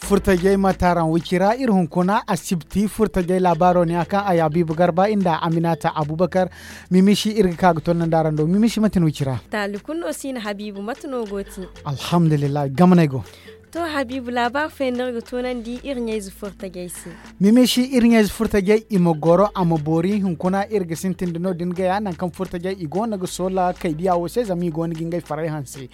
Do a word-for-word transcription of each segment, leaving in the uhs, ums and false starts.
Furtajey ma taaraŋ wicira iri hunkuna asibti furtajey laabaaro ne a kaŋ a yaabiibu garba inda aminata abubakar. Mimishi iri ga ka ga tonnandi araŋ do mimishi mate no wicira? Taali kulu no si na habiibu mate no go ti? Alhamdulillahi gamaney go. To habiibu laabaari fooyaŋ no iri ga toonandi iri ɲayze furtajey se. Mimishi iri ɲayze furtajey i ma goro a ma boori hunkuna iri ga sintin da no- din gaya nangu kaŋ furtajey i go no ga soola kaydiya wo se zama i go no ga ngey farey hanse.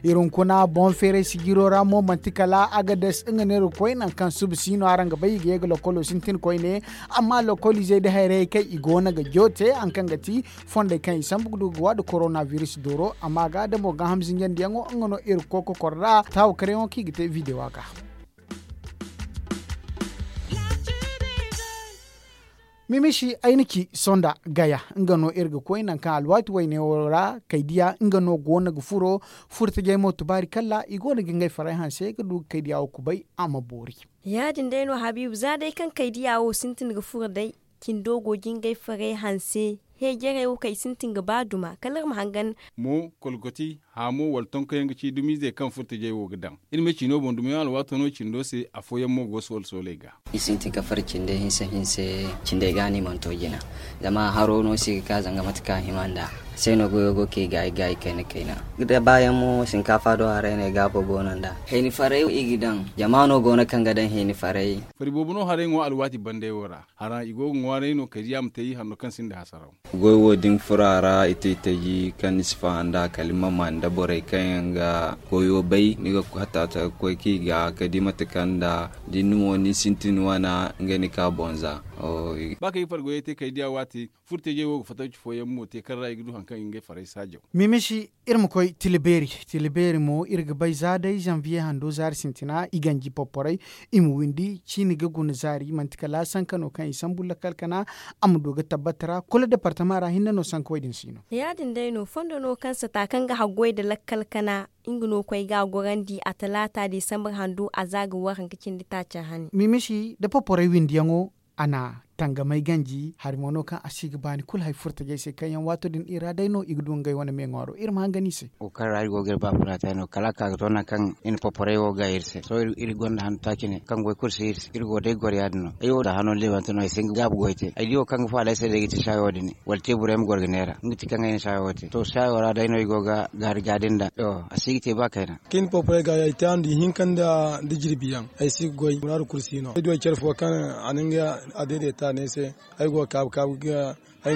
Iri hunkuna boŋ feeray sijiro ra mo manti kala agades nga no iri ga koy nangu kaŋ suba si no araŋ ga bay i ga ye ga lokolo sintin koyne. Amma lokoliizey nda hayrayey kaŋ i go no ga joote hari kaŋ ga ti fondey kaŋ i sambu ga du ga waadu korona biris dooro amma ga da mo gaaham zinjandiyaŋo nga no iri ga koy kokor nd'a taawakaryaŋo kaŋ i ga te bidewa ga. Mimishi ay na ci sonda gaya nga no iri ga koy nangu kaŋ alwaati wayne wo ra kaydiya nga no go no ga furo. Furtajey mo tubaari kalla i go no ga ngey farey hanse ga du ga kaydiya wo kubay a ma boori. Ya- din day no habiibu za day kaŋ kaydiya wo sintin ga furo day cindo go ga ngey farey hanse. Heejarey wo kaŋ i sintin ga ba duma kala iri ma hangan. Mo kolkoti haamo wala tonkoyaŋ ga ci dumiizey kaŋ furtajey wo ga daŋ. Iri ma ciino boŋ dumiyaŋ alwaato no cindo se afooyaŋ mo go soole sooley ga. I sintin ga fari cindey hinse hinse cindey ga no i mana to jina. Zama haro no si ga ka zanga mate kaŋ a hima nd'a. Se no goyo go kay gaayi gaayi kayna kayna. Da baayaŋ mo sinkaafa do haray no ay gaabo go no nd'a. Hayni farey i ga daŋ jama no go no kaŋ ga daŋ hayni farey. Fari boobo no haray ŋwa alwaati bandey wo ra. Hara i go ga ŋwaaray no kaydiya ma te i hanno kaŋ sinda hasaraw. Goy wo da ni furo a ra i te i taji kaŋ ni si faham nd'a kala ni ma maan nda borey kaŋ yaŋ ga goyo bay ni ga hatta ga koy kaŋ i ga ka di mate kaŋ nda da ni mo ni sintin wana nga ni ka bonza. Ba kaŋ i far goyey te kaydiya waati furtajey wo ga fatawci fooyaŋ mo te kaŋ ra i ga du hari kaŋ i ga ngey farey saajaw. Mimishi iri ma koy tila beeri. Tila beeri mo iri ga bay za day zanviye hando zaari sintina i ganji porporey i ma windi ciini ga guna zaari manti kala sanka no kaŋ i sambu lakkal kana. A ma du ga tabbata ra kulu departama ra hinne no sanka wey din si no. Ya- din day no fondo no kaŋ sata kaŋ ga haggoy nda lakkal kana nga no koy ga a gorandi a talaata desambar hando a za ga war hanka cindi taaca hane. Mimishi nda porporey windiyaŋo a na tangamay ganji hari mo no kaŋ a si ga baani kulu hari furtajey se kaŋ yaŋ waato din i ra day no i ga du ngey wane me ŋwaaro iri ma hangan i se. Wo kaŋ ra iri go ga iri ba funa te no kala a ka ga to nangu kaŋ i na porporey wo ga iri se sohõ iri gonda hanno taaci ne kaŋ goy kulu si iri se iri go day goro ya- din no ay wo da hano leebante no ay si hin ga gaabu goy te ay di wo kaŋ ga faala ay se day ga ti saayo din wala teeburey ma goro ga neera nga ti kaŋ ay na saayo wo te to saayo ra day no ay go ga gaari gaadi nda a si ga te ba kayna. Kaŋ i na porporey ga ay te a nda ihinka nda jirbi yaŋ ay si ga goy muraadu kulu si no ay du ay care fo kaŋ a na nga a dayday ta ne se. Ay go ga kaabu kaabu ga ay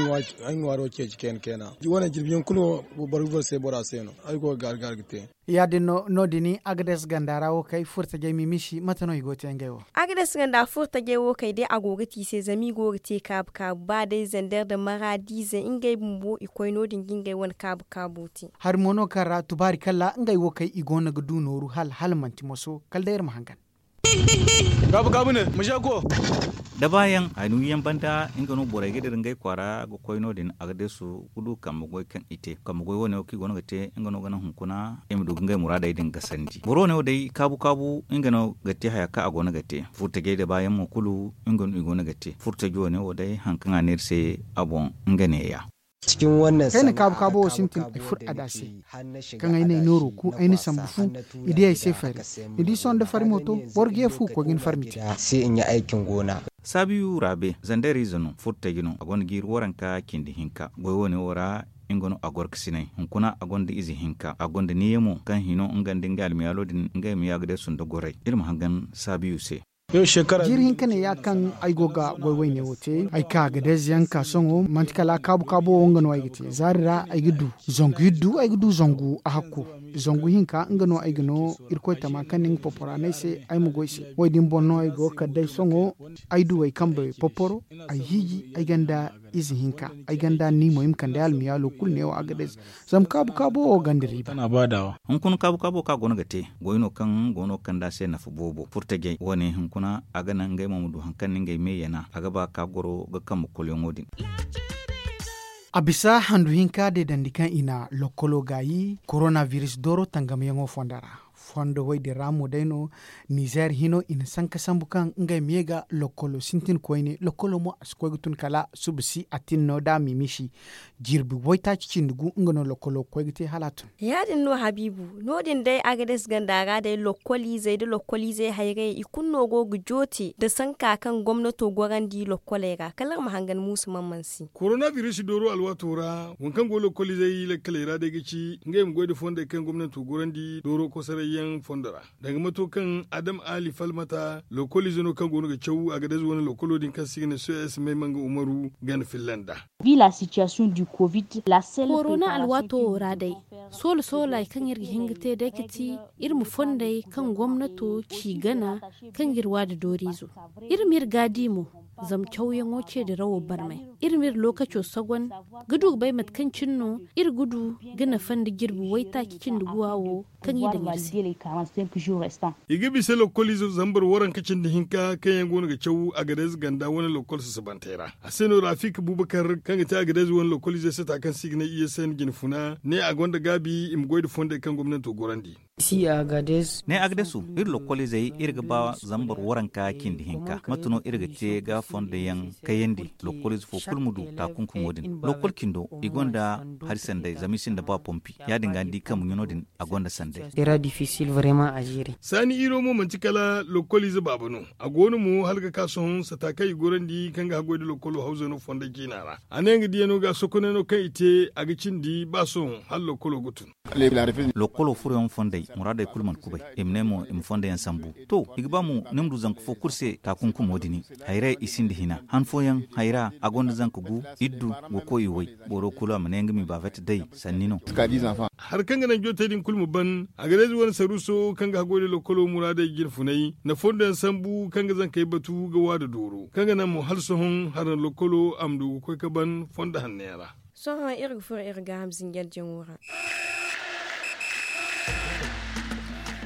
ŋwaaro ceeci kayna kayna. Wane jirbi yaŋ kulu boro ga boro se bora se no ay go ga gaari gaari ga te. Ya- din no no- din agades ganda ra wo kay furtajey mimishi mate no i go ga te ngey wo? Agades ganda furtajey wo kay day a go ga te i se zama i go ga te kaabu kaabu ba day zander nda maraadiize ngey bumbo i koy no- din ga ngey wane kaabu kaabo te. Hari mo no kaŋ ra tubaari kalla ngey wo kay i go no ga du nooru hala hala manti moso kala day iri ma hangan. Gaabu gaabu ne ma za go. Da baayaŋ haynuwiyaŋ banda nga no borey ga dira ngey kwaara ga koy no- din a ga deesu ga du kambe goy kaŋ i te kambe goy wane wo kaŋ i go no ga te nga no ga naŋ hunkuna i ma du ga ngey muraadey din gasandi boro wane wo day kaabu kaabu nga no ga te haya kaŋ a go no ga te furtajey da baayaŋ mo kulu nga no i go no ga te furtaji wane wo day hari kaŋ a ne iri se a boŋ nga neeya. Kayna kaabu kaabo wo sintin ay furo a da se. Kaŋ ay ne ay nooro ku ay na sambu fu i di ay se fari. Ni di sohõ da fari mo to boro ga ye fu koy ga ni fari mite. Saabiyu raabe zandeeriize no furtaji no a gonda jiiri waranka cindi hinka goy wane wo ra. Nga no a goro ga sinay hunkuna a gonda ize hinka a gonda niiya mo kaŋ hino nga nda ngey almiyaalo din ngey ma yaagade sunda goray iri ma hangan saabiyu se. Jiiri hinka ne ya kaŋ ay go ga goy wayne wo te ay ka ga deeze yaŋ ka sohõ manti kala kaabu kaabo wo nga no ay ga te zaari ra ay ga du zangu iddu ay ga du zangu a hakku. Zangu hinka nga no ay ga no irkoy tama kaŋ na nga popora no ay se ay ma goy se wo- din boŋ no ay go ga kala day sohõ. Ay du ay kambe poporo ay hiiji ay ganda ize hinka ay ganda ni mo i ma kande almiyaalo kulu neewo a ga deeze. Zama kaabu kaabo wo ganda riiba. Hunkuna kaabu kaabo kaŋ a goono ga te goy no kaŋ goono ga kand'a se nafa boobo furtajey wane hunkuna a ga naŋ ngey mo ma du hari kaŋ na ngey me yana a ga ba ka goro ga kambe kolyaŋo din. A bisa handu hinka deedandi kaŋ i na lokkolo gaayi korona biris dooro tangamayaŋo fonda ra. Fondo woy din ra mo day no, nizeer hino i na sanka sambu kaŋ ngey ma ye ga lokkolo sintin koyne lokkolo mo a si koy ga tun kala suba si a tin no da a ma i misi. Jirbi waytaaci cindi gu nga no lokkolo ga koy ga te hala a tun. Ya- din no habiibu. No- din day agades ganda ra day lokkoliizey nda lokkoliizey hayrayey i kulu no go ga joote nda sanka kaŋ gomnato gorandi lokkoley ra kala iri ma hangan muusu man mansi. Koronabiris dooro alwaato ra waŋ kaŋ go lokkoliizey lakkaley ra day ga ci ngey ma goy nda fondey kaŋ gomnato gorandi dooro kosoray yaŋ fondo ra. Danga mato kaŋ adam ali falmata lokkoliize no kaŋ go no ga caw agades wane lokkolo din kaŋ se i ga ne soyas may manga umaru gana filla nd'a. Korona alwaato wo ra day, soola soola hari kaŋ iri ga hin ga te day ga ti iri ma fondey kaŋ gomnato ci gana kaŋ ga iri waada dooriizo. Iri ma iri gaadi mo, zama cawyaŋo ce dirawo barmay. Iri ma iri lookaco sogon ga du ga bay mate kaŋ cine no iri ga du ga nafa nda jirbi waytaaci cindi guwa wo kaŋ i daŋ iri se. I ga bisa lokkoliize zambar waranka cindi hinka kaŋ yaŋ go no ga caw agades ganda wane lokkol sasabantey ra. A se no rafik bubakar kaŋ ga te agades wane lokkoliize sata kaŋ se i ga ne i ye se ni jine funa ne a gonda gaabi i ma goy nda fondey kaŋ gomnato gorandi. Ne agades wo iri lokkoliizey iri ga ba zambar waranka cindi hinka mate no iri ga te ga fondey yaŋ kayandi lokkoliize fo kulu ma du taakunkumo din lokkol cindo i gonda hari sanday zama i sinda ba pompi ya- din ga ni di kaŋ muɲano din a gonda sanday. Saani iro mo manti kala lokkoliize baaba no. A go no mo hala ga ka sohõ sata kaŋ i gorandi kaŋ ga haggoy nda lokkolo hawza no fonday ciina ra. A ne nga diyano ga sokoney no kaŋ i te a ga cindi ba sohõ hala lokkolo ga tun. Lokkolo furoyaŋ fonday muraadey kulu mana kubay. I ma ne mo i ma fondayaŋ sambu. To, i ga ba mo ni ma du zanka fo kulu se taakunkumo din. Hayray i sinda hina han fooyaŋ hayra a gonda zanka gu, iddu, ga koy i way. Boro kulu a ma ne nga ma i baabet day sanni no. Hari kaŋ ga naŋ jootey din kulu ma ban a ga day ize wane saruuso kaŋ ga haggoy nda lokkolo muraadey jine funay na fondoyaŋ sambu kaŋ ga zankey batu ga waada dooro kaŋ ga naŋ mo hala sohõ hari na lokkolo a ma du ga koy ga ban fondo hanno yaŋ ra. Sohõ iri ga furo iri gaaham zinjarjaŋo ra.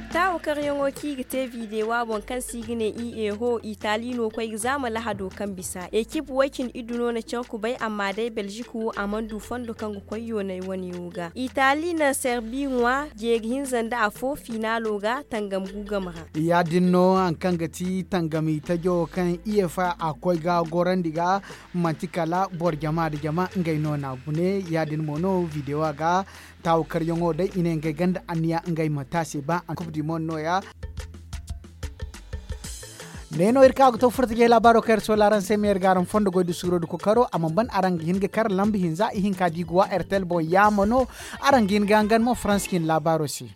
Taawakaryaŋo kaŋ i ga te videwa boŋ kaŋ se i ga ne i eho itali no koy ga zaama lahado kaŋ bisa ekip way-cine iddu no na care kubay amma day belzik wo a mana du fondo kaŋ ga koy yoonay wane wo ga itali na serbi ŋwa jeeri hinza nda afo finalo ga tangam gu game ra. Ya- din no hari kaŋ ga ti tangam itajo kaŋ i efa a koy ga gorandi ga manti kala boro jama nda jama ngey no na gune ya- din mo no videwa ga. Taawakaryaŋo day i ne ngey ganda anniya ngey ma taase ba ankof di mo no ya. Ne no iri ka ga to furtajey laabaaro kaŋ iri sola araŋ se ma iri ga araŋ fondo goy da suuro da kokaro a mana ban araŋ ga hin ga kar lamba hinza ihinka da i ga wa rtl boŋ yaama no. Araŋ ga hin ga hangan mo farans cine laabaaro se.